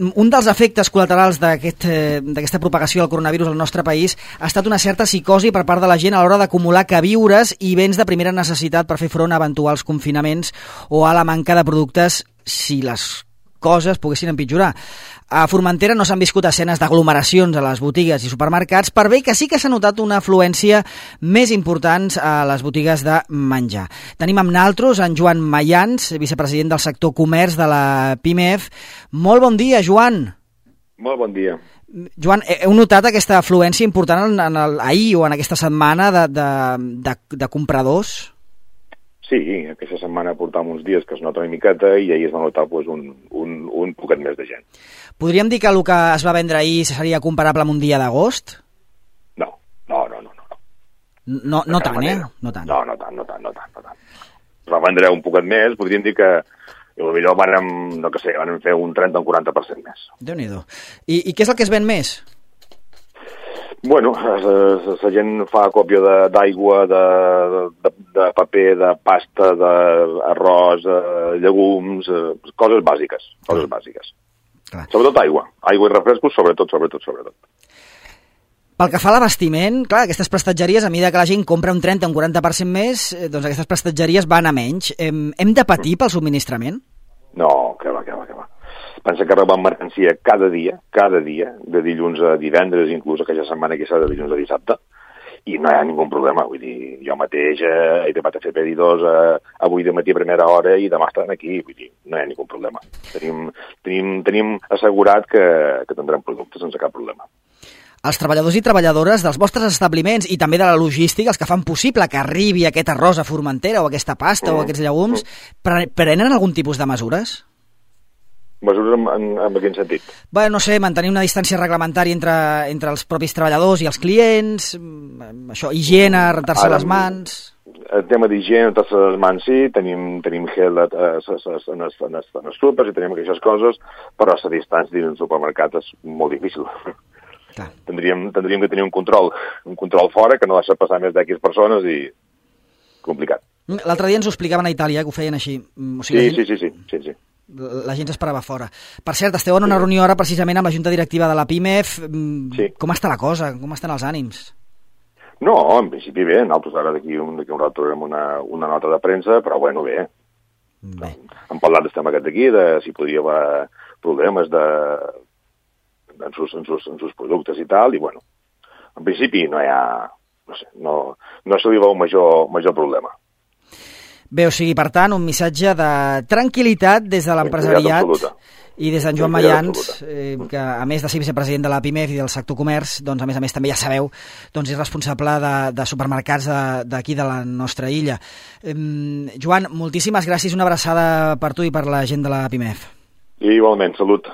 un dels efectes col·laterals d'aquesta propagació del coronavirus al nostre país ha estat una certa psicosi per part de la gent a l'hora d'acumular queviures i béns de primera necessitat per fer front a eventuals confinaments o a la manca de productes si les coses poguessin empitjorar. A Formentera no s'han viscut escenes d'aglomeracions a les botigues i supermercats, per bé que sí que s'ha notat una afluència més important a les botigues de menjar. Tenim amb naltros en Joan Mayans, vicepresident del sector comerç de la PIMEF. Molt bon dia, Joan. Molt bon dia. Joan, heu notat aquesta afluència important ahir o en aquesta setmana de compradors? Sí, aquesta setmana portàvem uns dies que es nota una miqueta i ahir es va notar un poquet més de gent. Podríem dir que el que es va vendre ahir seria comparable amb un dia d'agost? No. No tant, eh? No tant. Es va vendre un poquet més, podríem dir que potser van fer un 30 o un 40% més. Déu-n'hi-do. I què és el que es ven més? Bueno, la gent fa còpia d'aigua, de paper, de pasta, d'arròs, llegums, coses bàsiques. Clar. Sobretot aigua i refrescos, sobretot. Pel que fa a l'abastiment, clar, aquestes prestatgeries, a mesura que la gent compra un 30 o un 40% més, doncs aquestes prestatgeries van a menys. Hem de patir pel subministrament? No, que va. Pensa que rebem mercancia cada dia, de dilluns a divendres, inclús aquella setmana que serà de dilluns a dissabte, i no hi ha ningú problema. Vull dir, jo mateix he acabat de fer pedidors avui de matí a primera hora i demà estan aquí. Vull dir, no hi ha ningú problema. Tenim assegurat que tindrem productes sense cap problema. Els treballadors i treballadores dels vostres establiments i també de la logística, els que fan possible que arribi aquest arròs a Formentera o aquesta pasta o aquests llegums, prenen algun tipus de mesures? Mesures en quin sentit? Bé, no sé, mantenir una distància reglamentària entre els propis treballadors i els clients, això, higiene, rentar-se les mans... El tema d'higiene, rentar-se les mans, sí, tenim gel en els súpers i tenim aquestes coses, però la distància dins del supermercat és molt difícil. Clar. Tindríem que tenir un control fora que no deixa passar més d'X persones i complicat. L'altre dia ens ho explicaven a Itàlia, que ho feien així. O sigui, sí. La gent s'esperava fora. Per cert, esteu en una reunió ara precisament amb la Junta Directiva de la PIMEF. Sí. Com està la cosa? Com estan els ànims? No, en principi bé. Nosaltres ara d'aquí un rato tindrem una nota de premsa, però bueno, bé. Hem parlat del tema aquest d'aquí, de si podria haver problemes en sus productes i tal, i bueno, en principi no hi ha, no se li veu major problema. Bé, o sigui, per tant, un missatge de tranquil·litat des de l'empresariat i des d'en Joan Mayans, que a més de ser vicepresident de la PIMEF i del sector comerç, doncs a més també ja sabeu, doncs és responsable de supermercats d'aquí de la nostra illa. Joan, moltíssimes gràcies, una abraçada per tu i per la gent de la PIMEF. I igualment, salut.